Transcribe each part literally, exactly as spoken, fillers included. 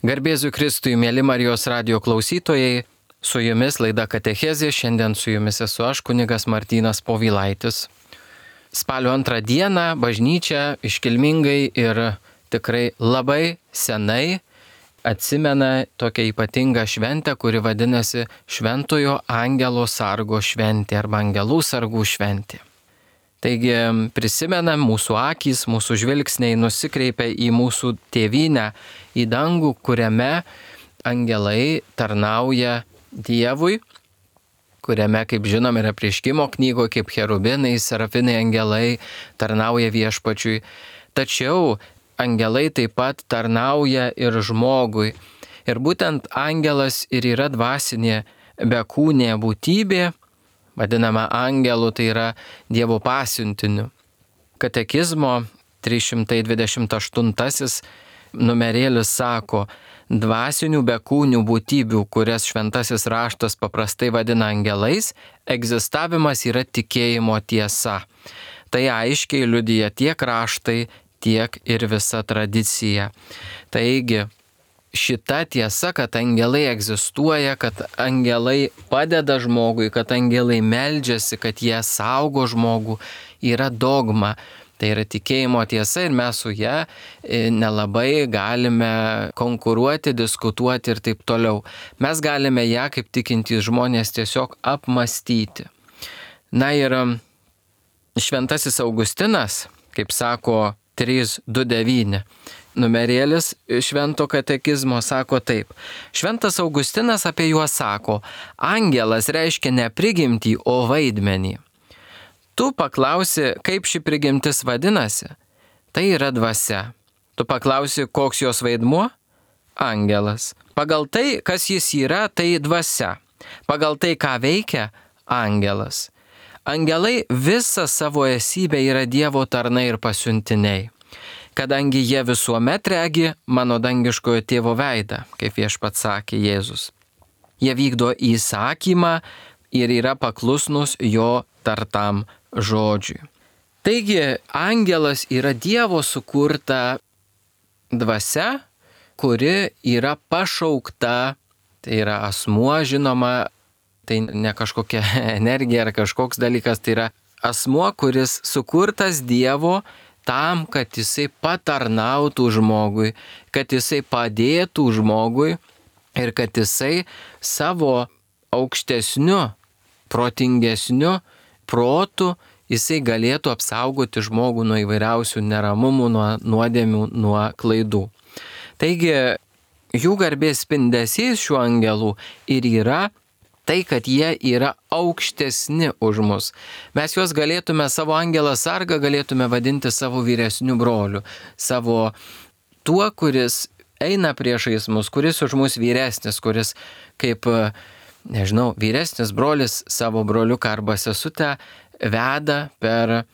Garbėzu Kristui, mėly Marijos radijo klausytojai, su jumis laida Katechezė, šiandien su jumis esu aš, kunigas Martynas Povilaitis. Spalio antrą dieną bažnyčia iškilmingai ir tikrai labai senai atsimena tokią ypatingą šventę, kuri vadinasi Šventojo Angelo Sargo šventė arba Angelų sargų šventė. Taigi prisimenam, mūsų akys, mūsų žvilgsniai nusikreipia į mūsų tėvynę, į dangų, kuriame angelai tarnauja Dievui, kuriame, kaip žinom, yra Apreiškimo knygoje, kaip cherubinai, serafinai angelai tarnauja Viešpačiui. Tačiau angelai taip pat tarnauja ir žmogui. Ir būtent angelas ir yra dvasinė bekūnė būtybė, vadinama angelu, tai yra Dievo pasiuntiniu. Katekizmo trys šimtai dvidešimt aštuntasis numerėlis sako, dvasinių bekūnių būtybių, kurias šventasis raštas paprastai vadina angelais, egzistavimas yra tikėjimo tiesa. Tai aiškiai liudija tiek raštai, tiek ir visa tradicija. Taigi, šita tiesa, kad angelai egzistuoja, kad angelai padeda žmogui, kad angelai meldžiasi, kad jie saugo žmogų, yra dogma. Tai yra tikėjimo tiesa ir mes su ją nelabai galime konkuruoti, diskutuoti ir taip toliau. Mes galime ją, kaip tikintys žmonės, tiesiog apmastyti. Na ir šventasis Augustinas, kaip sako trys du devyni, numerėlis švento katekizmo sako taip. Šventas Augustinas apie juos sako, angelas reiškia ne prigimtį, o vaidmenį. Tu paklausi, kaip ši prigimtis vadinasi? Tai yra dvasia. Tu paklausi, koks jos vaidmuo? Angelas. Pagal tai, kas jis yra, tai dvasia. Pagal tai, ką veikia? Angelas. Angelai visą savo esybę yra Dievo tarnai ir pasiuntiniai. Kadangi jie visuomet regi mano dangiškojo tėvo veidą, kaip Viešpats sakė Jėzus. Jie vykdo įsakymą ir yra paklusnus jo tartam žodžiui. Taigi, angelas yra Dievo sukurta dvasia, kuri yra pašaukta, tai yra asmuo, žinoma, tai ne kažkokia energija ar kažkoks dalykas, tai yra asmuo, kuris sukurtas Dievo tam, kad jisai patarnautų žmogui, kad jisai padėtų žmogui ir kad jisai savo aukštesniu, protingesniu protu jisai galėtų apsaugoti žmogų nuo įvairiausių neramumų, nuo nuodėmių, nuo klaidų. Taigi, jų garbės spindesys šių angelų ir yra tai, kad jie yra aukštesni už mus. Mes juos galėtume, savo angelą sargą galėtume vadinti savo vyresniu broliu, savo tuo, kuris eina priešais mus, kuris už mus vyresnis, kuris kaip, nežinau, vyresnis brolis savo broliuką arba sesutę veda per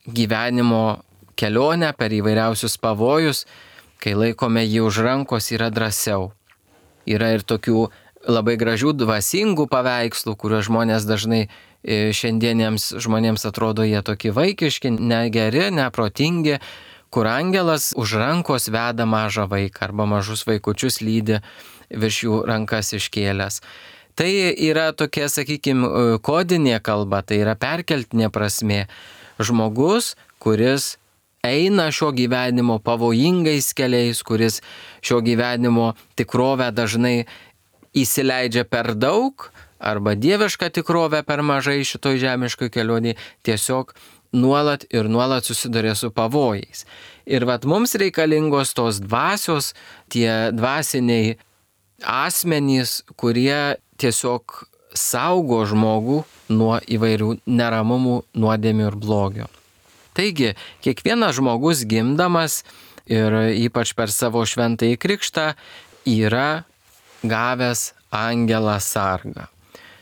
gyvenimo kelionę, per įvairiausius pavojus, kai laikome jį už rankos, yra drąsiau. Yra ir tokių labai gražių dvasingų paveikslų, kuriuos žmonės dažnai šiandieniems žmonėms atrodo jie tokie vaikiški, negeri, neprotingi, kur angelas už rankos veda mažą vaiką arba mažus vaikučius lydi virš jų rankas iškėlęs. Tai yra tokia, sakykime, kodinė kalba, tai yra perkeltinė prasmė. Žmogus, kuris eina šio gyvenimo pavojingais keliais, kuris šio gyvenimo tikrovę dažnai įsileidžia per daug arba dievišką tikrovę per mažai šitoj žemiškoj kelionėje, tiesiog nuolat ir nuolat susiduria su pavojais. Ir vat mums reikalingos tos dvasios, tie dvasiniai asmenys, kurie tiesiog saugo žmogų nuo įvairių neramumų, nuodėmių ir blogio. Taigi, kiekvienas žmogus gimdamas ir ypač per savo šventąjį krikštą yra gavęs angelą sargą.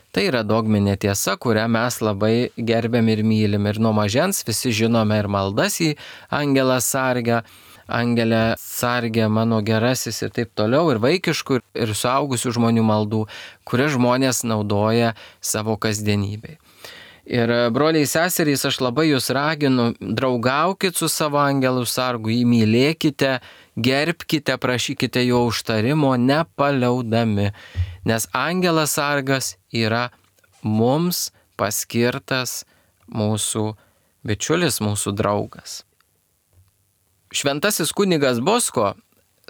Tai yra dogminė tiesa, kurią mes labai gerbiam ir mylim. Ir nuo mažens visi žinome ir maldas į angelą sargą, angelę sargę mano gerasis ir taip toliau, ir vaikiškų, ir suaugusių žmonių maldų, kurias žmonės naudoja savo kasdienybei. Ir broliai seserys, aš labai jūs raginu, draugaukit su savo angelu sargu, jį mylėkite, gerbkite, prašykite jo užtarimo, nepaliaudami, nes angelas sargas yra mums paskirtas mūsų bičiulis, mūsų draugas. Šventasis kunigas Bosko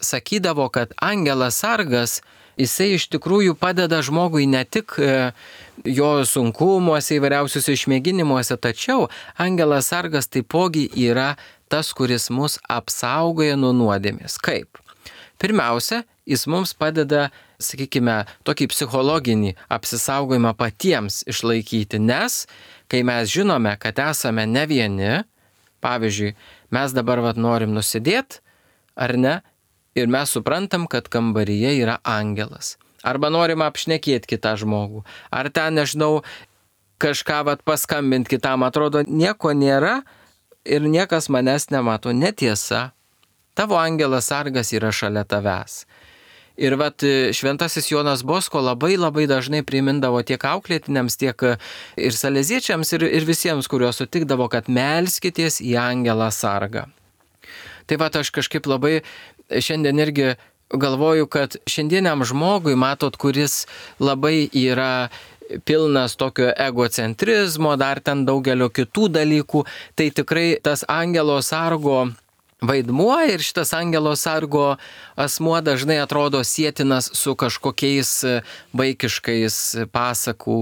sakydavo, kad angelas sargas, jisai iš tikrųjų padeda žmogui ne tik jo sunkumuose, įvairiausiuose išmėginimuose, tačiau angelas sargas taipogi yra tas, kuris mus apsaugoja nuo nuodėmės. Kaip? Pirmiausia, jis mums padeda, sakykime, tokį psichologinį apsisaugojimą patiems išlaikyti, nes kai mes žinome, kad esame ne vieni, pavyzdžiui, mes dabar vat norim nusidėti, ar ne? Ir mes suprantam, kad kambaryje yra angelas. Arba norim apšnekėti kitą žmogų. Ar ten, nežinau, kažką vat paskambinti kitam, atrodo, nieko nėra ir niekas manęs nemato. Netiesa. Tavo angelas sargas yra šalia tavęs. Ir vat šventasis Jonas Bosko labai labai dažnai primindavo tiek auklėtiniams, tiek ir saleziečiams, ir, ir visiems, kuriuos sutikdavo, kad melskitės į angelą sargą. Tai va, aš kažkaip labai šiandien irgi galvoju, kad šiandieniam žmogui, matot, kuris labai yra pilnas tokio egocentrizmo, dar ten daugelio kitų dalykų, tai tikrai tas angelo sargo vaidmuo ir šitas angelo sargo asmuo dažnai atrodo sietinas su kažkokiais vaikiškais pasakų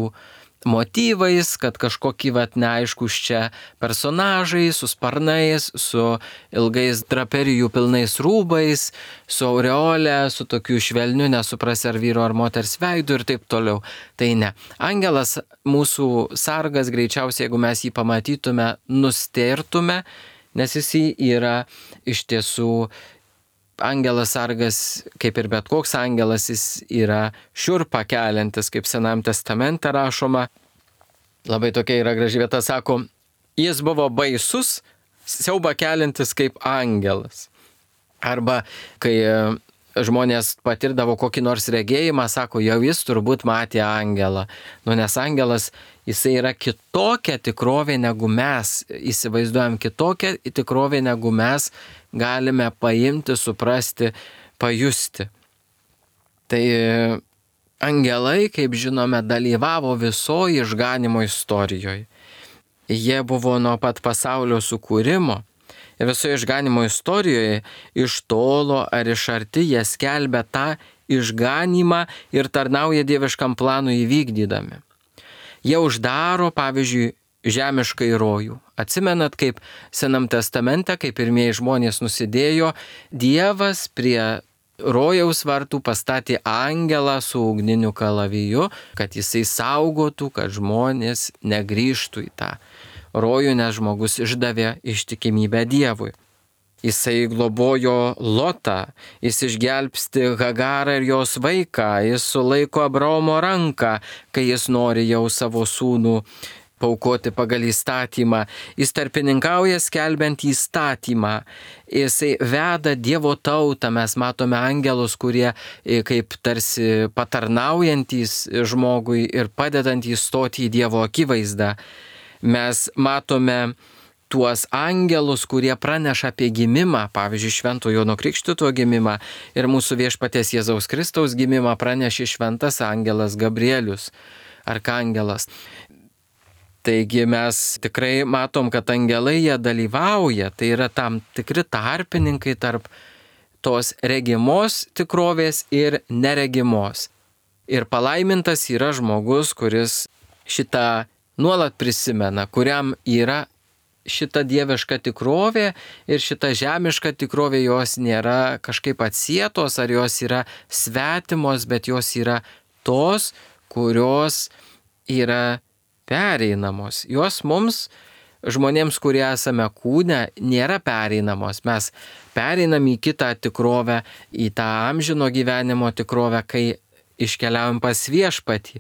motyvais, kad kažkokie vat neaiškus čia personažai su sparnais, su ilgais draperijų pilnais rūbais, su aureolė, su tokiu švelniu, nesuprasi ar vyro ar moters veidu ir taip toliau. Tai ne. Angelas mūsų sargas greičiausiai, jeigu mes jį pamatytume, nustėrtume, nes jis yra iš tiesų angelas sargas, kaip ir bet koks angelas, jis yra šiurpą keliantis, kaip Senajame testamente rašoma. Labai tokia yra graži vieta, sako, jis buvo baisus, siaubą keliantis kaip angelas. Arba kai žmonės patirdavo kokį nors regėjimą, sako, jau jis turbūt matė angelą. Nu, nes angelas, jisai yra kitokia tikrovė, negu mes įsivaizduojam, kitokia tikrovė, negu mes galime paimti, suprasti, pajusti. Tai angelai, kaip žinome, dalyvavo visoje išganimo istorijoje. Jie buvo nuo pat pasaulio sukūrimo. Ir visoje išganimo istorijoje iš tolo ar iš arti jie skelbia tą išganimą ir tarnauja dieviškam planui įvykdydami. Jie uždaro, pavyzdžiui, žemiškai rojų. Atsimenat, kaip Senam testamente, kai pirmieji žmonės nusidėjo, Dievas prie rojaus vartų pastatė angelą su ugniniu kalaviju, kad jisai saugotų, kad žmonės negrįžtų į tą rojų, nes žmogus išdavė ištikimybę Dievui. Jisai globojo Lotą, jis išgelbsti Hagarą ir jos vaiką, jis sulaiko Abraomo ranką, kai jis nori jau savo sūnų paaukoti pagal įstatymą. Jis tarpininkauja skelbiant įstatymą. Jisai veda Dievo tautą. Mes matome angelus, kurie kaip tarsi patarnaujantys žmogui ir padedantys stoti į Dievo akivaizdą. Mes matome tuos angelus, kurie praneša apie gimimą, pavyzdžiui, Švento Jono Krikštytojo gimimą, ir mūsų viešpaties Jėzaus Kristaus gimimą pranešė šventas angelas Gabrielius, arkangelas. Taigi mes tikrai matom, kad angelai jie dalyvauja, tai yra tam tikri tarpininkai tarp tos regimos tikrovės ir neregimos. Ir palaimintas yra žmogus, kuris šitą nuolat prisimena, kuriam yra šita dieviška tikrovė ir šita žemiška tikrovė, jos nėra kažkaip atsietos ar jos yra svetimos, bet jos yra tos, kurios yra pereinamos. Jos mums, žmonėms, kurie esame kūne, nėra pereinamos. Mes pereinam į kitą tikrovę, į tą amžino gyvenimo tikrovę, kai iškeliaujam pas viešpatį.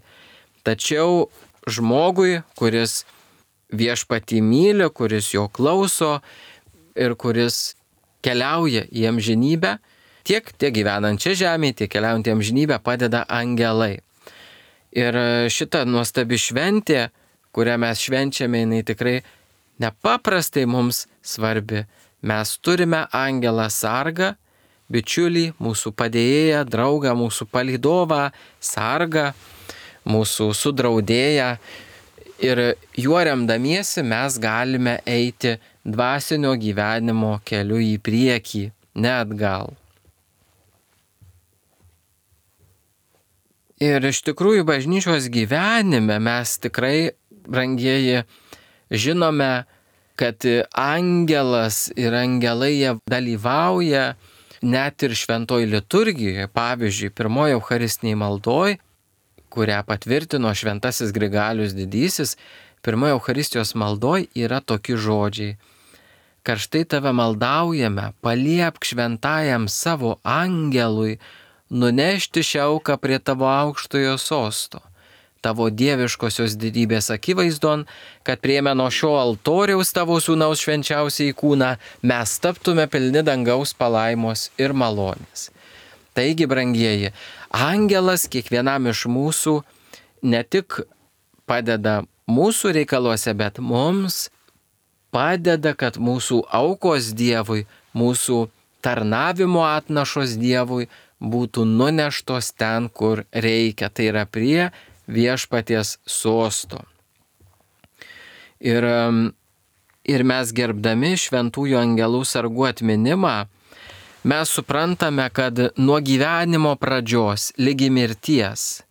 Tačiau žmogui, kuris viešpatį myli, kuris jo klauso ir kuris keliauja į amžinybę, tiek, tiek gyvenant čia žemėje, tiek keliaujant į amžinybę padeda angelai. Ir šita nuostabi šventė, kurią mes švenčiame, jinai tikrai nepaprastai mums svarbi. Mes turime angelą sargą, bičiulį, mūsų padėjėją, draugą, mūsų palydovą, sargą, mūsų sudraudėją. Ir juo remdamiesi mes galime eiti dvasinio gyvenimo keliu į priekį, ne atgal. Ir iš tikrųjų bažnyčios gyvenime mes tikrai, brangieji, žinome, kad angelas ir angelai jie dalyvauja net ir šventoj liturgijoje. Pavyzdžiui, pirmoji eucharistiniai maldoj, kurią patvirtino šventasis Grigalius Didysis, pirmoji eucharistijos maldoj yra tokie žodžiai. Karštai tave maldaujame, paliepk šventajam savo angelui nunešti šią auką prie tavo aukštojo sosto, tavo dieviškosios didybės akivaizdon, kad priėmę nuo šio altoriaus tavo sūnaus švenčiausiai kūną, mes taptume pilni dangaus palaimos ir malonės. Taigi, brangieji, angelas kiekvienam iš mūsų ne tik padeda mūsų reikaluose, bet mums padeda, kad mūsų aukos Dievui, mūsų tarnavimo atnašos Dievui būtų nuneštos ten, kur reikia. Tai yra prie viešpaties sosto. Ir, ir mes gerbdami šventųjų angelų sargų atminimą, mes suprantame, kad nuo gyvenimo pradžios lygi mirties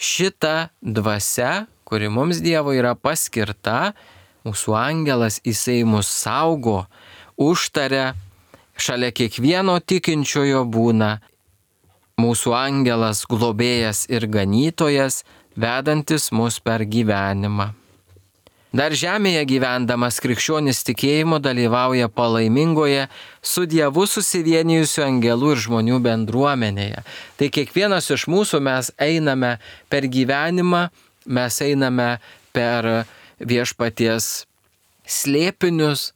šita dvasia, kuri mums Dievo yra paskirta, mūsų angelas, jisai mus saugo, užtaria, šalia kiekvieno tikinčiojo būna mūsų angelas, globėjas ir ganytojas, vedantis mus per gyvenimą. Dar žemėje gyvendamas krikščionis tikėjimo dalyvauja palaimingoje su Dievu susivienijusių angelų ir žmonių bendruomenėje. Tai kiekvienas iš mūsų mes einame per gyvenimą, mes einame per viešpaties slėpinius,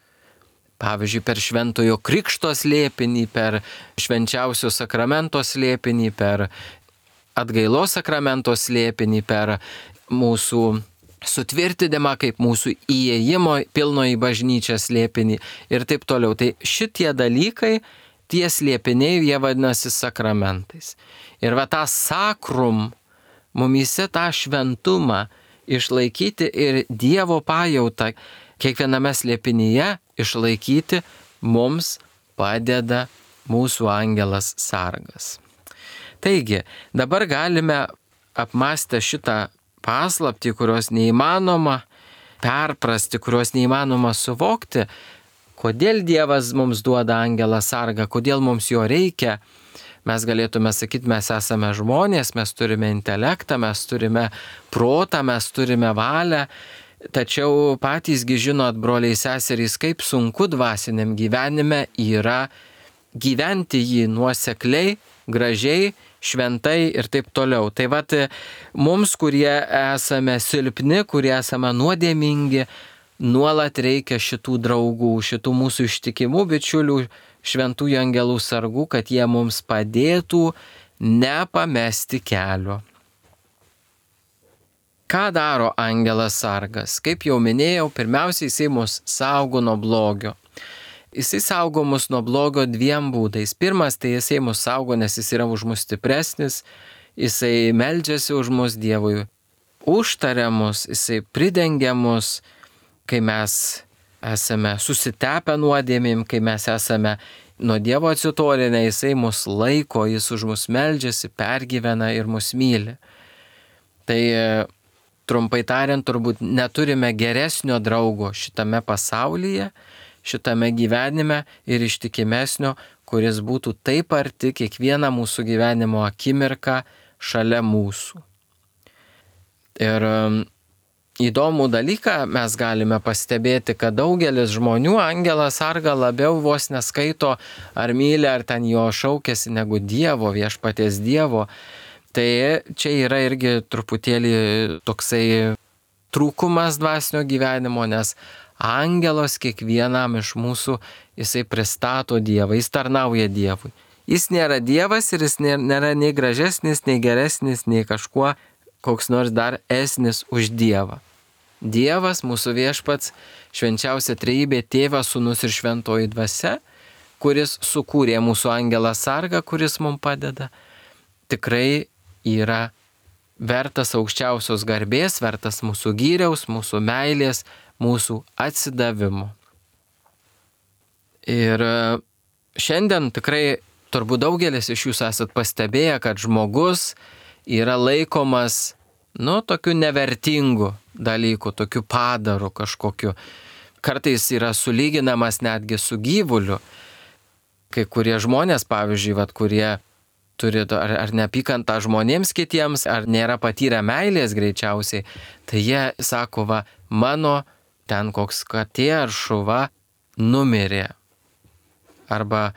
pavyzdžiui, per šventojo krikšto slėpinį, per švenčiausio sakramento slėpinį, per atgailos sakramento slėpinį, per mūsų sutvirtinimą kaip mūsų įėjimo pilno į bažnyčią slėpinį ir taip toliau. Tai šitie dalykai, tie slėpiniai, jie vadinasi sakramentais. Ir va tą sakrum, mumyse tą šventumą išlaikyti ir Dievo pajautą kiekviename slėpinyje išlaikyti mums padeda mūsų angelas sargas. Taigi, dabar galime apmąstę šitą paslaptį, kurios neįmanoma perprasti, kurios neįmanoma suvokti, kodėl Dievas mums duoda angelą sargą, kodėl mums jo reikia. Mes galėtume sakyti, mes esame žmonės, mes turime intelektą, mes turime protą, mes turime valią, tačiau patysgi žinot, broliai seserys, kaip sunku dvasiniam gyvenime yra gyventi jį nuosekliai, gražiai, šventai ir taip toliau. Tai vat mums, kurie esame silpni, kurie esame nuodėmingi, nuolat reikia šitų draugų, šitų mūsų ištikimų bičiulių, šventųjų angelų sargų, kad jie mums padėtų nepamesti kelio. Ką daro angelas sargas? Kaip jau minėjau, pirmiausiai jisai mus saugo nuo blogio. Jisai saugo mus nuo blogio dviem būdais. Pirmas, tai jisai mus saugo, nes jis yra už mus stipresnis, jisai meldžiasi už mus Dievui, užtaria mus, jisai pridengia mus, kai mes esame susitepę nuodėmėm, kai mes esame nuo Dievo atsitolinę, jisai mus laiko, jis už mus meldžiasi, pergyvena ir mus myli. Tai trumpai tariant, turbūt neturime geresnio draugo šitame pasaulyje, šitame gyvenime ir ištikimesnio, kuris būtų taip arti kiekvieną mūsų gyvenimo akimirką šalia mūsų. Ir įdomų dalyką mes galime pastebėti, kad daugelis žmonių angelą sargą labiau vos neskaito ar myli, ar ten jo šaukėsi negu Dievo, viešpaties Dievo. Tai čia yra irgi truputėlį toksai trūkumas dvasinio gyvenimo, nes angelas kiekvienam iš mūsų, jisai pristato Dievą, jis tarnauja Dievui. Jis nėra Dievas ir jis nėra nei gražesnis, nei geresnis, nei kažkuo koks nors dar esnis už Dievą. Dievas, mūsų viešpats, švenčiausia trejybė, Tėvas, Sūnus ir Šventoji Dvasia, kuris sukūrė mūsų angelą sargą, kuris mums padeda, tikrai yra vertas aukščiausios garbės, vertas mūsų gyriaus, mūsų meilės, mūsų atsidavimo. Ir šiandien tikrai turbūt daugelis iš jūsų esat pastebėję, kad žmogus yra laikomas, nu, tokiu nevertingu dalyku, tokiu padaru kažkokiu. Kartais yra sulyginamas netgi su gyvuliu. Kai kurie žmonės, pavyzdžiui, vat, kurie turi ar, ar neapykantą žmonėms kitiems, ar nėra patyrę meilės greičiausiai, tai jie sako, va, mano ten koks katė ar šuva numirė. Arba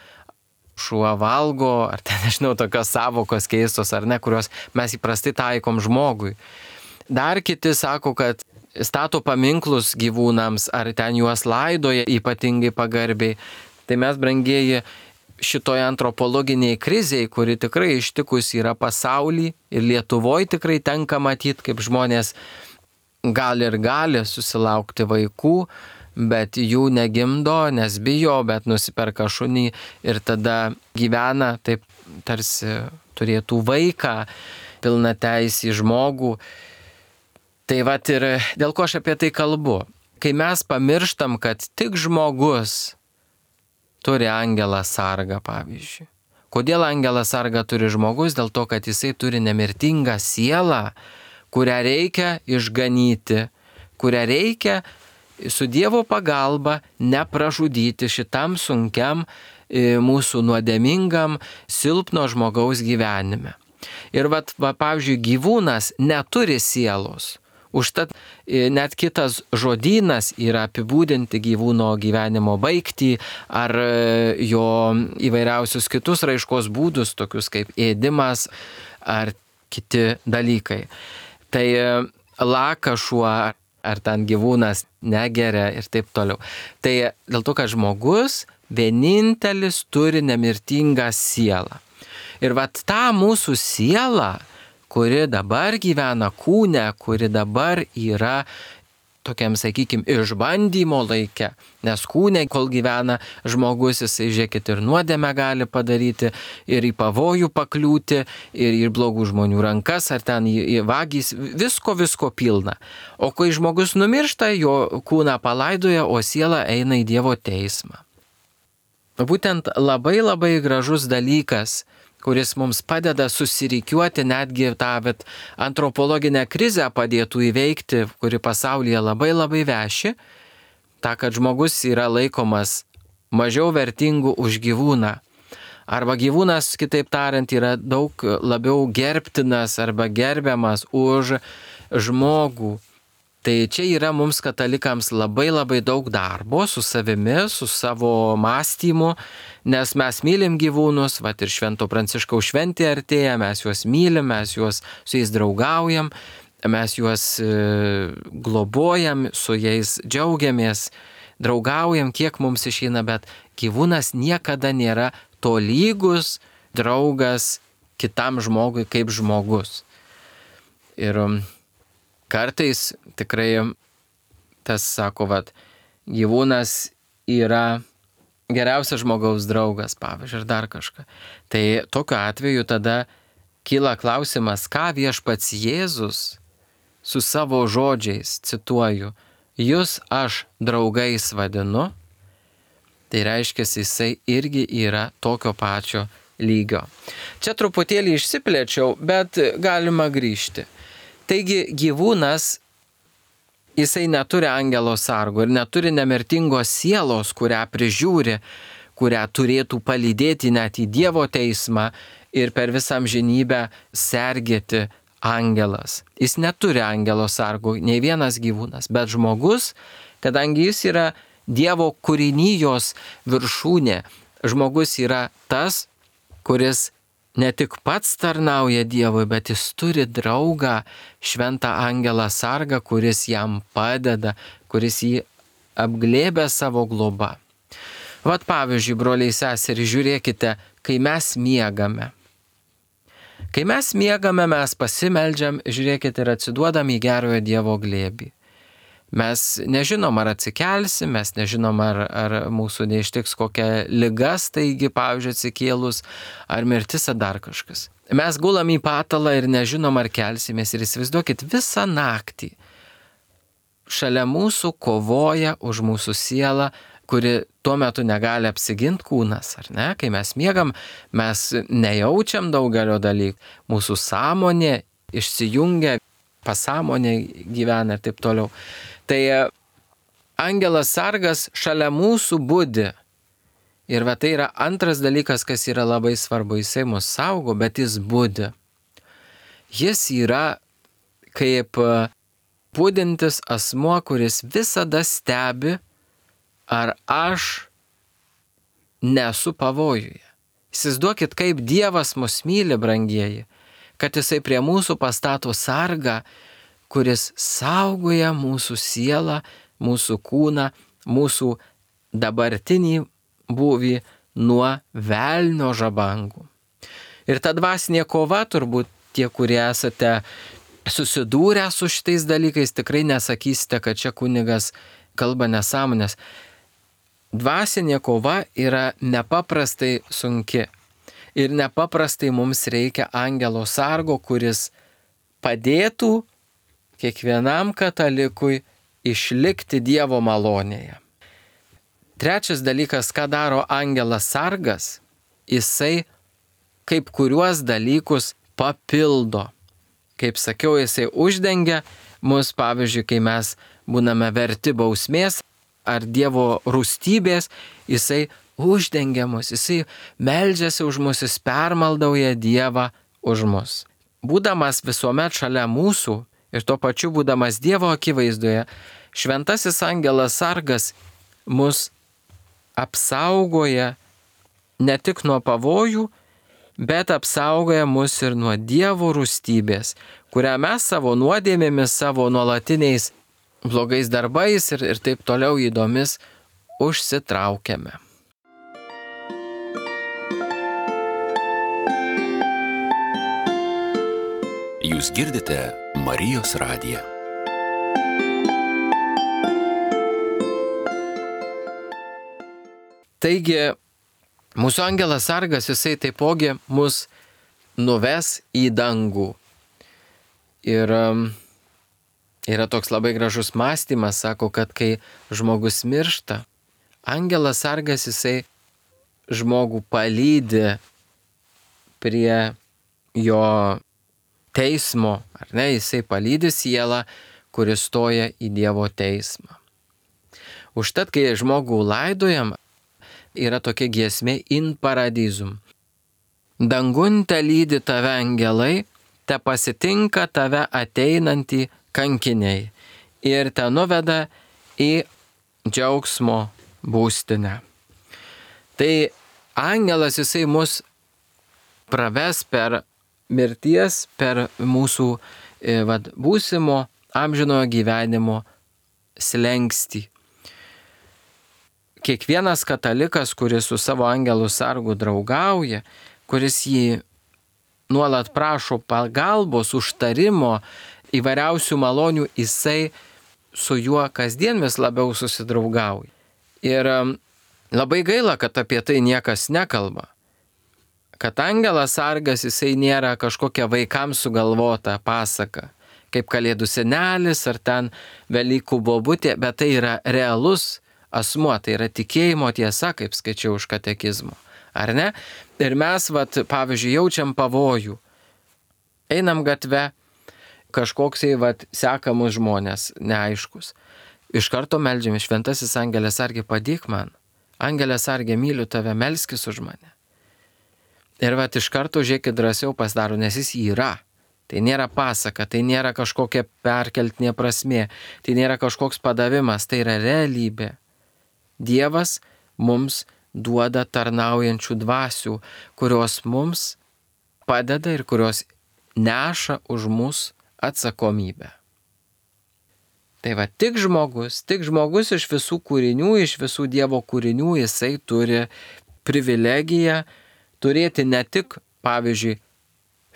šuva valgo, ar ten, nežinau, tokios savokos keistos, ar ne, kurios mes įprastai taikom žmogui. Dar kiti sako, kad stato paminklus gyvūnams, ar ten juos laidoja ypatingai pagarbiai. Tai mes, brangieji, šitoje antropologiniai krizėje, kuri tikrai ištikus yra pasaulį ir Lietuvoje tikrai tenka matyti, kaip žmonės gali ir gali susilaukti vaikų, bet jų negimdo, nes bijo, bet nusiperka šunį ir tada gyvena taip, tarsi turėtų vaiką, pilna teisį žmogų. Tai vat ir dėl ko aš apie tai kalbu. Kai mes pamirštam, kad tik žmogus turi angelą sargą, pavyzdžiui. Kodėl angelą sargą turi žmogus? Dėl to, kad jisai turi nemirtingą sielą, kurią reikia išganyti, kurią reikia su Dievo pagalba nepražudyti šitam sunkiam mūsų nuodėmingam, silpno žmogaus gyvenime. Ir vat, va, pavyzdžiui, gyvūnas neturi sielos. Užtat net kitas žodynas yra apibūdinti gyvūno gyvenimo baigtį ar jo įvairiausius kitus raiškos būdus, tokius kaip ėdimas ar kiti dalykai. Tai laka šuo ar ten gyvūnas negeria ir taip toliau. Tai dėl to, kad žmogus vienintelis turi nemirtingą sielą. Ir vat tą mūsų sielą, kuri dabar gyvena kūne, kuri dabar yra tokiam, sakykime, išbandymo laike. Nes kūne, kol gyvena žmogus, jisai, žiūrėkit, ir nuodėmę gali padaryti, ir į pavojų pakliūti, ir į blogų žmonių rankas, ar ten į, į vagys, visko, visko pilna. O kai žmogus numiršta, jo kūną palaidoja, o siela eina į Dievo teismą. Būtent labai labai gražus dalykas, kuris mums padeda susirikiuoti, netgi tą bet, antropologinę krizę padėtų įveikti, kuri pasaulyje labai labai veši, tą, kad žmogus yra laikomas mažiau vertingu už gyvūną. Arba gyvūnas, kitaip tariant, yra daug labiau gerbtinas arba gerbiamas už žmogų. Tai čia yra mums katalikams labai labai daug darbo su savimi, su savo mąstymu, nes mes mylim gyvūnus, vat ir Švento Pranciškaus šventė artėja, mes juos mylim, mes juos su jais draugaujam, mes juos e, globojam, su jais džiaugiamės, draugaujam, kiek mums išeina, bet gyvūnas niekada nėra tolygus draugas kitam žmogui kaip žmogus. Ir kartais tikrai tas sako, vat, gyvūnas yra geriausias žmogaus draugas, pavyzdžiui, ir dar kažką. Tai tokiu atveju tada kyla klausimas, ką viešpats Jėzus su savo žodžiais, cituoju, jūs aš draugais vadinu, tai reiškia, jisai irgi yra tokio pačio lygio. Čia truputėlį išsiplėčiau, bet galima grįžti. Taigi gyvūnas, jisai neturi angelo sargo ir neturi nemirtingos sielos, kurią prižiūri, kurią turėtų palydėti net į Dievo teismą ir per visą amžinybę sergėti angelas. Jis neturi angelo sargo, nei vienas gyvūnas, bet žmogus, kadangi jis yra Dievo kūrinijos viršūnė, žmogus yra tas, kuris ne tik pats tarnauja Dievui, bet jis turi draugą, šventą angelą sargą, kuris jam padeda, kuris jį apglėbia savo globą. Vat pavyzdžiui, broliai seserys, žiūrėkite, kai mes miegame. Kai mes miegame, mes pasimeldžiam, žiūrėkite, ir atsiduodam į gerojo Dievo glėbį. Mes nežinom, ar atsikelsim, mes nežinom, ar, ar mūsų neištiks kokia liga staigi, pavyzdžiui, atsikėlus, ar mirtis, ar dar kažkas. Mes gulam į patalą ir nežinom, ar kelsimės. Ir įsivaizduokit, visą naktį šalia mūsų kovoja už mūsų sielą, kuri tuo metu negali apsiginti kūnas, ar ne? Kai mes miegam, mes nejaučiam daugelio dalykų. Mūsų sąmonė išsijungia, pasąmonė gyvena ir taip toliau. Tai angelas sargas šalia mūsų budi. Ir va tai yra antras dalykas, kas yra labai svarbu. Jisai mus saugo, bet jis budi. Jis yra kaip budintis asmuo, kuris visada stebi, ar aš nesu pavojuje. Įsivaizduokit, kaip Dievas mus myli, brangieji, kad jisai prie mūsų pastato sargą, kuris saugoja mūsų sielą, mūsų kūną, mūsų dabartinį būvį nuo velnio žabangų. Ir ta dvasinė kova, turbūt tie, kurie esate susidūrę su šitais dalykais, tikrai nesakysite, kad čia kunigas kalba nesąmonės. Dvasinė kova yra nepaprastai sunki. Ir nepaprastai mums reikia angelo sargo, kuris padėtų kiekvienam katalikui išlikti Dievo malonėje. Trečias dalykas, ką daro angelas sargas, jisai kaip kuriuos dalykus papildo. Kaip sakiau, jisai uždengia mus, pavyzdžiui, kai mes būname verti bausmės ar Dievo rūstybės, jisai uždengia mus, jisai meldžiasi už mus, jis permaldauja Dievą už mus. Būdamas visuomet šalia mūsų ir tuo pačiu būdamas Dievo akivaizdoje, šventasis angelas sargas mus apsaugoja ne tik nuo pavojų, bet apsaugoja mus ir nuo Dievo rūstybės, kurią mes savo nuodėmėmis, savo nuolatiniais blogais darbais ir, ir taip toliau įdomis užsitraukiame. Jūs girdite Marijos radiją. Taigi, mūsų angelas sargas, jisai taipogi mus nuves į dangų. Ir um, yra toks labai gražus mąstymas, sako, kad kai žmogus miršta, angelas sargas, jisai žmogų palydi prie jo teismo, ar ne, jisai palydi sielą, kuris stoja į Dievo teismą. Užtat, kai žmogų laidojam, yra tokia giesmė in paradizum. Dangun te lydi tave angelai, te pasitinka tave ateinantį kankiniai ir te nuveda į džiaugsmo būstinę. Tai angelas, jisai mus praves per mirties, per mūsų vad, būsimo amžinojo gyvenimo slenkstį. Kiekvienas katalikas, kuris su savo angelų sargu draugauja, kuris jį nuolat prašo pagalbos, užtarimo, įvairiausių malonių, jisai su juo kasdien vis labiau susidraugauja. Ir labai gaila, kad apie tai niekas nekalba. Kad angelas sargas, jisai nėra kažkokia vaikams sugalvota pasaka, kaip Kalėdų senelis ar ten Velykų bobutė, bet tai yra realus asmuo, tai yra tikėjimo tiesa, kaip skaičiau iš katekizmo, ar ne? Ir mes, vat, pavyzdžiui, jaučiam pavojų. Einam gatve, kažkoksai, vat, sekamus žmonės, neaiškus. Iš karto meldžiame, šventasis angelas sargi, padėk man. Angelas sargi, myliu tave, melskis už mane. Ir vat, iš karto, žiūrėkit, drąsiau pasidaro, nes jis yra. Tai nėra pasaka, tai nėra kažkokia perkeltinė prasmė, tai nėra kažkoks padavimas, tai yra realybė. Dievas mums duoda tarnaujančių dvasių, kurios mums padeda ir kurios neša už mus atsakomybę. Tai va, tik žmogus, tik žmogus iš visų kūrinių, iš visų Dievo kūrinių, jisai turi privilegiją turėti ne tik, pavyzdžiui,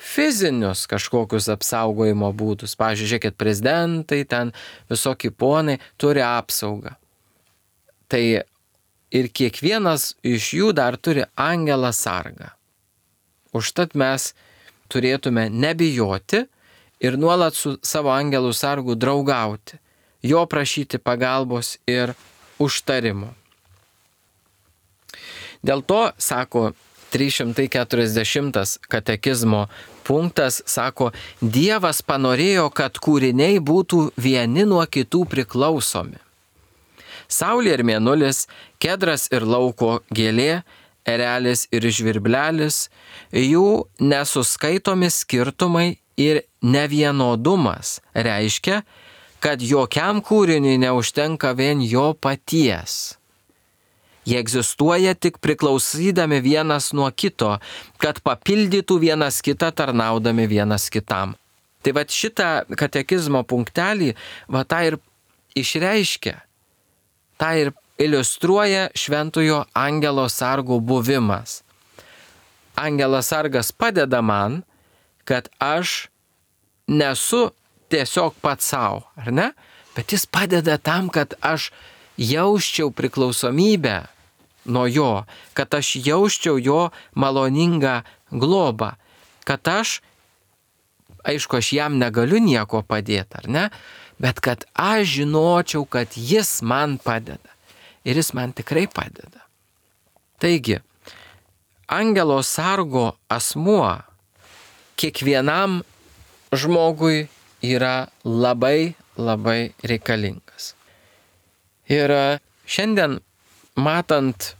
fizinius kažkokius apsaugojimo būdus. Pavyzdžiui, žiūrėkit, prezidentai, ten visokie ponai turi apsaugą. Tai ir kiekvienas iš jų dar turi angelą sargą. Užtat mes turėtume nebijoti ir nuolat su savo angelų sargu draugauti, jo prašyti pagalbos ir užtarimo. Dėl to, sako trys šimtai keturiasdešimtas katekizmo punktas, sako, Dievas panorėjo, kad kūriniai būtų vieni nuo kitų priklausomi. Saulė ir mėnulis, kedras ir lauko gėlė, erelis ir žvirblelis, jų nesuskaitomi skirtumai ir nevienodumas reiškia, kad jokiam kūriniui neužtenka vien jo paties. Jie egzistuoja tik priklausydami vienas nuo kito, kad papildytų vienas kitą tarnaudami vienas kitam. Tai va šitą katekizmo punktelį va tą ir išreiškia, tą ir iliustruoja šventojo angelo sargo buvimas. Angelas sargas padeda man, kad aš nesu tiesiog pats savo, ar ne? Bet jis padeda tam, kad aš jausčiau priklausomybę nuo jo, kad aš jausčiau jo maloningą globą, kad aš, aišku, aš jam negaliu nieko padėti, ar ne? Bet kad aš žinočiau, kad jis man padeda. Ir jis man tikrai padeda. Taigi, angelo sargo asmuo kiekvienam žmogui yra labai, labai reikalingas. Ir šiandien, matant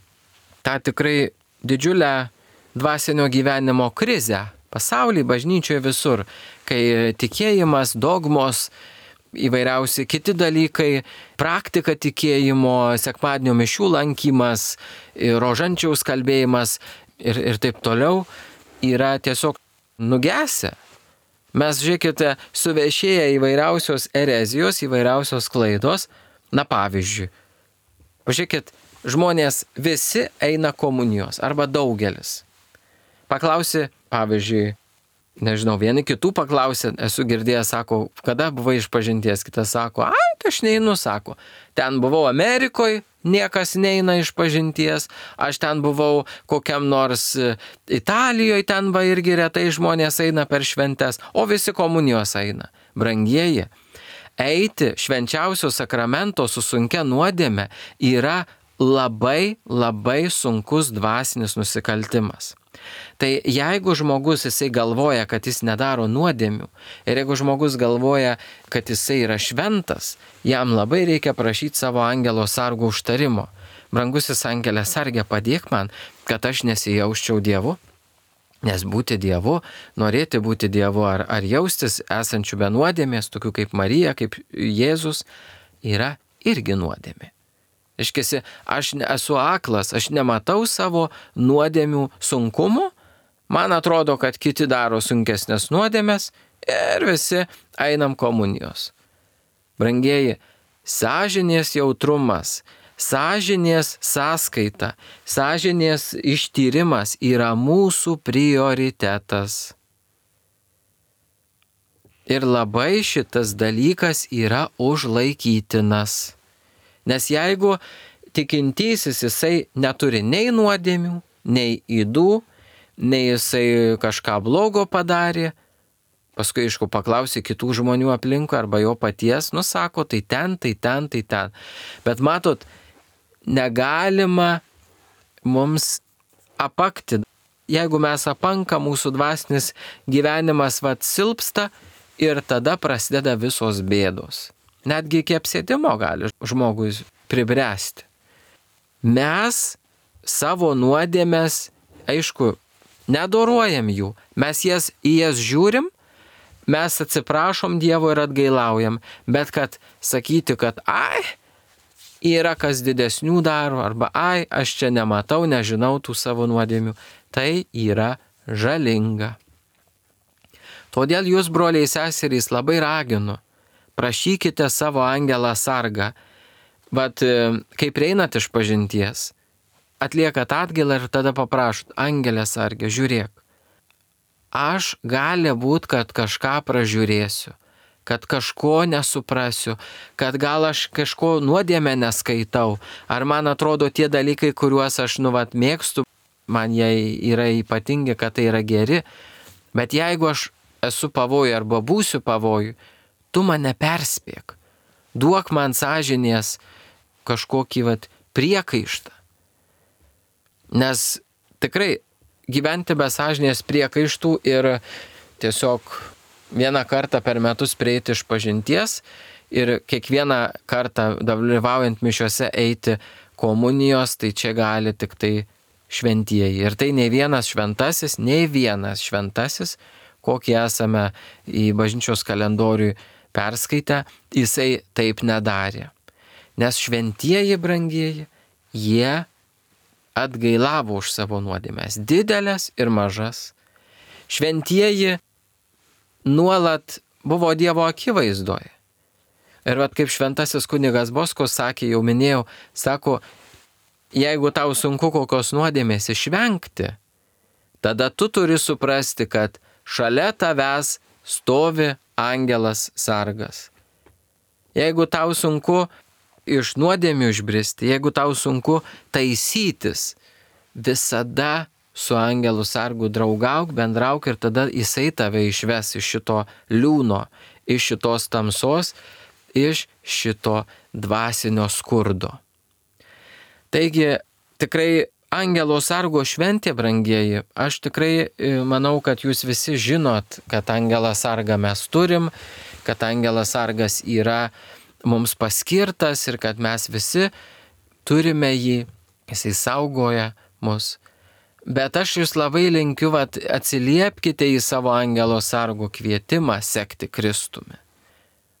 tą tikrai didžiulę dvasinio gyvenimo krizę pasaulyje, bažnyčioje visur, kai tikėjimas, dogmos, įvairiausi kiti dalykai, praktika tikėjimo, sekmadienio mišių lankymas, rožančiaus kalbėjimas ir, ir taip toliau yra tiesiog nugesę. Mes, žiūrėkite, suvešėję įvairiausios erezijos, įvairiausios klaidos. Na pavyzdžiui, pažiūrėkit, žmonės visi eina komunijos arba daugelis. Paklausi, pavyzdžiui, nežinau, vieni kitų paklausė, esu girdėjęs, sako, kada buvai išpažinties, kitas sako, ai, aš neinu, sako, ten buvau Amerikoje, niekas neina išpažinties, aš ten buvau kokiam nors Italijoje, ten va irgi retai žmonės eina per šventes, o visi komunijos eina. Brangieji, eiti švenčiausio sakramento su sunkia nuodėme yra labai, labai sunkus dvasinis nusikaltimas. Tai jeigu žmogus jisai galvoja, kad jis nedaro nuodėmių, ir jeigu žmogus galvoja, kad jisai yra šventas, jam labai reikia prašyti savo angelo sargo užtarimo. Brangusis angelė sargė, padėk man, kad aš nesijausčiau Dievu, nes būti Dievu, norėti būti Dievu ar, ar jaustis esančių be nuodėmės, tokių kaip Marija, kaip Jėzus, yra irgi nuodėmė. Iškesi, aš esu aklas, aš nematau savo nuodėmių sunkumo, man atrodo, kad kiti daro sunkesnės nuodėmės ir visi einam komunijos. Brangieji, sąžinės jautrumas, sąžinės sąskaita, sąžinės ištyrimas yra mūsų prioritetas. Ir labai šitas dalykas yra užlaikytinas. Nes jeigu tikintysis jisai neturi nei nuodėmių, nei ydų, nei jisai kažką blogo padarė, paskui, aišku, paklausė kitų žmonių aplinkui arba jo paties, nusako, tai ten, tai ten, tai ten. Bet matot, negalima mums apakti. Jeigu mes apanka, mūsų dvasinis gyvenimas vat silpsta ir tada prasideda visos bėdos. Netgi iki apsėdimo gali žmogui pribręsti. Mes savo nuodėmės, aišku, nedoruojam jų. Mes jas, į jas žiūrim, mes atsiprašom Dievo ir atgailaujam. Bet kad sakyti, kad ai, yra kas didesnių daro, arba ai, aš čia nematau, nežinau tų savo nuodėmių, tai yra žalinga. Todėl jūs, broliai seserys, labai raginu, prašykite savo angelą sargą, bet kai prieinat iš pažinties, atliekat atgailą ir tada paprašot, angelė sargė, žiūrėk, aš gali būt, kad kažką pražiūrėsiu, kad kažko nesuprasiu, kad gal aš kažko nuodėmę neskaitau, ar man atrodo tie dalykai, kuriuos aš nu vat mėgstu, man jie yra ypatingi, kad tai yra geri, bet jeigu aš esu pavojui arba būsiu pavojui, tu mane perspėk, duok man sąžinės kažkokį vat priekaištą. Nes tikrai gyventi be sąžinės priekaištų ir tiesiog vieną kartą per metus prieiti iš pažinties ir kiekvieną kartą dalyvaujant mišiuose eiti komunijos, tai čia gali tik tai šventieji. Ir tai nei vienas šventasis, nei vienas šventasis, kokį esame į bažnyčios kalendorių perskaitę, jisai taip nedarė. Nes šventieji brangieji, jie atgailavo už savo nuodėmes, didelės ir mažas. Šventieji nuolat buvo Dievo akivaizdoje. Ir vat kaip šventasis kunigas Boskus sakė, jau minėjau, sako, jeigu tau sunku kokios nuodėmės išvengti, tada tu turi suprasti, kad šalia tavęs stovi angelas sargas. Jeigu tau sunku iš nuodėmių išbristi, jeigu tau sunku taisytis, visada su angelu sargu draugauk, bendrauk ir tada jisai tave išves iš šito liūno, iš šitos tamsos, iš šito dvasinio skurdo. Taigi, tikrai angelo sargo šventė, brangieji, aš tikrai manau, kad jūs visi žinot, kad angelą sargą mes turim, kad angelas sargas yra mums paskirtas ir kad mes visi turime jį, jisai saugoja mus. Bet aš jūs labai linkiu, vat, atsiliepkite į savo angelo sargo kvietimą sekti Kristumi.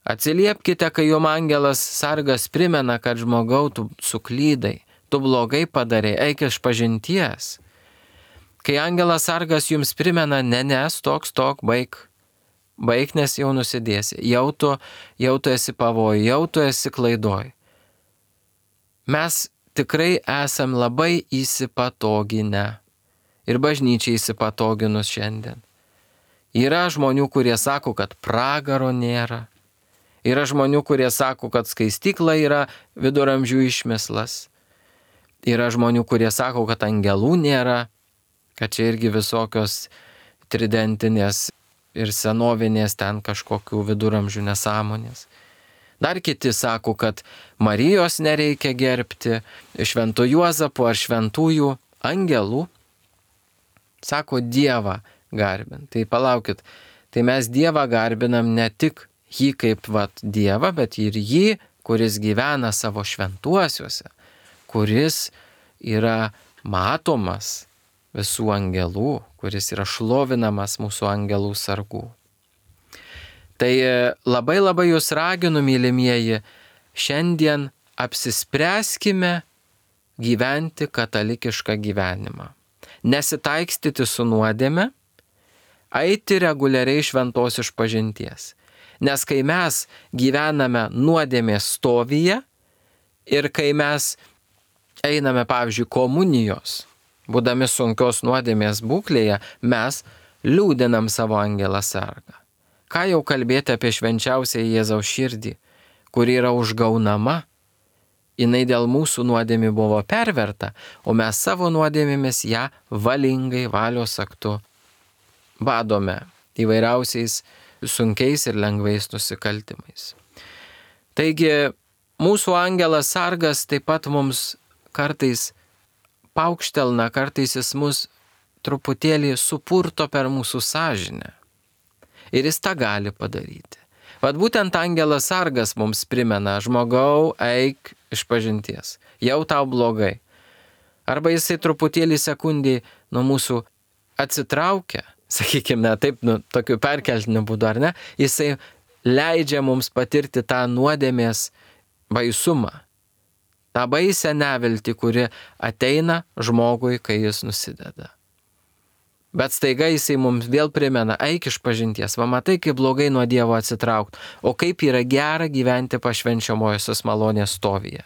Atsiliepkite, kai jums angelas sargas primena, kad žmogau, tu suklydai, tu blogai padarei, eik iš pažinties. Kai angelas sargas jums primena, ne, ne, stok, stok, baik, baik, nes jau nusidėsi, jau tu, jau tu esi pavojui, jau tu esi klaidoj. Mes tikrai esam labai įsipatoginę ir bažnyčiai įsipatoginus šiandien. Yra žmonių, kurie sako, kad pragaro nėra. Yra žmonių, kurie sako, kad skaistykla yra viduramžių išmislas. Yra žmonių, kurie sako, kad angelų nėra, kad čia irgi visokios tridentinės ir senovinės ten kažkokių viduramžių nesąmonės. Dar kiti sako, kad Marijos nereikia gerbti, švento Juozapo ar šventųjų angelų. Sako Dievą garbint. Tai palaukit, tai mes Dievą garbinam ne tik jį kaip vat Dievą, bet ir jį, kuris gyvena savo šventuosiuose, kuris yra matomas visų angelų, kuris yra šlovinamas mūsų angelų sargų. Tai labai labai jūs raginu, mylimieji, šiandien apsispręskime gyventi katalikišką gyvenimą. Nesitaikstyti su nuodėme, eiti reguliariai šventos išpažinties. Nes kai mes gyvename nuodėmės stovyje ir kai mes einame, pavyzdžiui, komunijos, būdami sunkios nuodėmės būklėje, mes liūdinam savo angelą sargą. Ką jau kalbėti apie švenčiausią Jėzaus širdį, kuri yra užgaunama, jinai dėl mūsų nuodėmių buvo perverta, o mes savo nuodėmėmis ją valingai valios aktu badome įvairiausiais sunkiais ir lengvais nusikaltimais. Taigi, mūsų angelas sargas taip pat mums kartais paukštelna, kartais jis mus truputėlį supurto per mūsų sąžinę. Ir jis tą gali padaryti. Vat būtent angelas sargas mums primena, žmogau, eik iš pažinties, jau tau blogai. Arba jisai truputėlį sekundį nuo mūsų atsitraukia, sakykime, taip, nu, tokiu perkeltiniu būdu, ar ne, jisai leidžia mums patirti tą nuodėmės baisumą, tą baisę neviltį, kuri ateina žmogui, kai jis nusideda. Bet staiga jisai mums vėl primena, eik iš pažinties, va matai, kaip blogai nuo Dievo atsitraukti, o kaip yra gera gyventi pašvenčiamojosios malonės stovyje.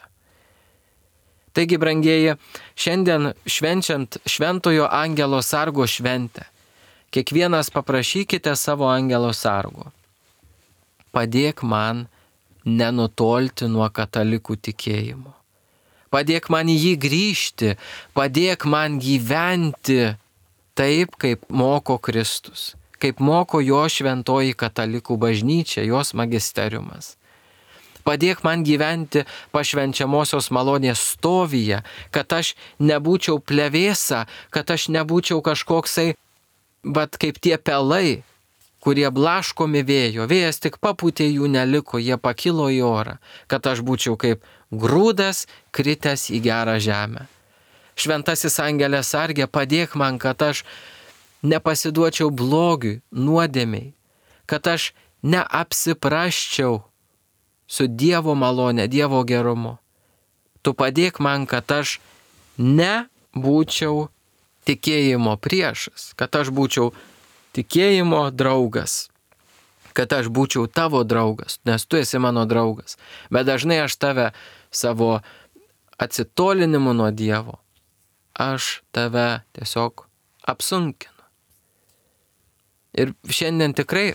Taigi, brangieji, šiandien švenčiant šventojo angelo sargo šventę, kiekvienas paprašykite savo angelo sargo. Padėk man nenutolti nuo katalikų tikėjimo. Padėk man į jį grįžti, padėk man gyventi taip, kaip moko Kristus, kaip moko jo šventoji katalikų bažnyčia, jos magisteriumas. Padėk man gyventi pašvenčiamosios malonės stovyje, kad aš nebūčiau plevėsa, kad aš nebūčiau kažkoksai, bet kaip tie pelai, kurie blaškomi vėjo, vėjas tik papūtė, jų neliko, jie pakilo į orą, kad aš būčiau kaip grūdas kritęs į gerą žemę. Šventasis angelė sargė, padėk man, kad aš nepasiduočiau blogiui, nuodėmiai, kad aš neapsiprasčiau su Dievo malonė, Dievo gerumu. Tu padėk man, kad aš nebūčiau tikėjimo priešas, kad aš būčiau tikėjimo draugas, kad aš būčiau tavo draugas, nes tu esi mano draugas. Bet dažnai aš tave savo atsitolinimu nuo Dievo, aš tave tiesiog apsunkinu. Ir šiandien tikrai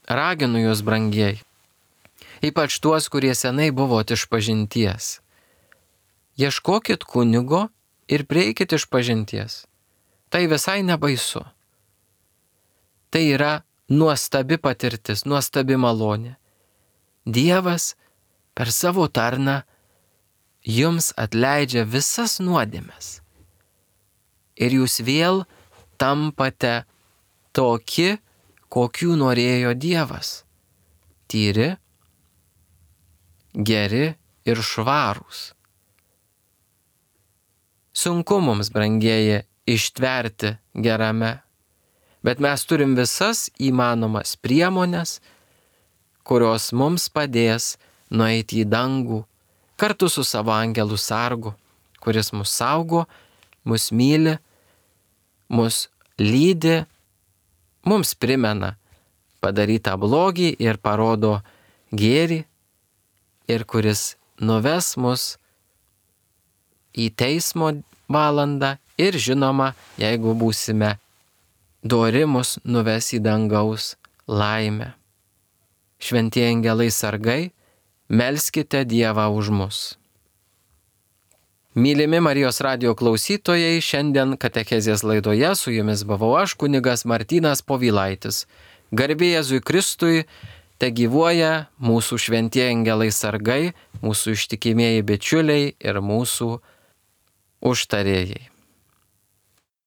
raginu jūs, brangieji, ypač tuos, kurie senai buvot išpažinties. Ieškokit kunigo ir prieikit išpažinties. Tai visai nebaisu. Tai yra nuostabi patirtis, nuostabi malonė. Dievas per savo tarną jums atleidžia visas nuodėmes. Ir jūs vėl tampate toki, kokių norėjo Dievas. Tyri, geri ir švarūs. Sunku mums, brangieji, ištverti gerame, bet mes turim visas įmanomas priemonės, kurios mums padės nueiti į dangų kartu su savo angelų sargu, kuris mus saugo, mus myli, mus lydi, mums primena padarytą blogį ir parodo gėrį, ir kuris nuves mus į teismo valandą ir žinoma, jeigu būsime dori, mus nuves į dangaus laimę. Šventieji angelai sargai, melskite Dievą už mus. Mylimi Marijos radijo klausytojai, šiandien katechezės laidoje su jumis buvau aš, kunigas Martynas Povilaitis. Garbė Jėzui Kristui, te gyvuoja mūsų šventieji angelai sargai, mūsų ištikimieji bičiuliai ir mūsų užtarėjai.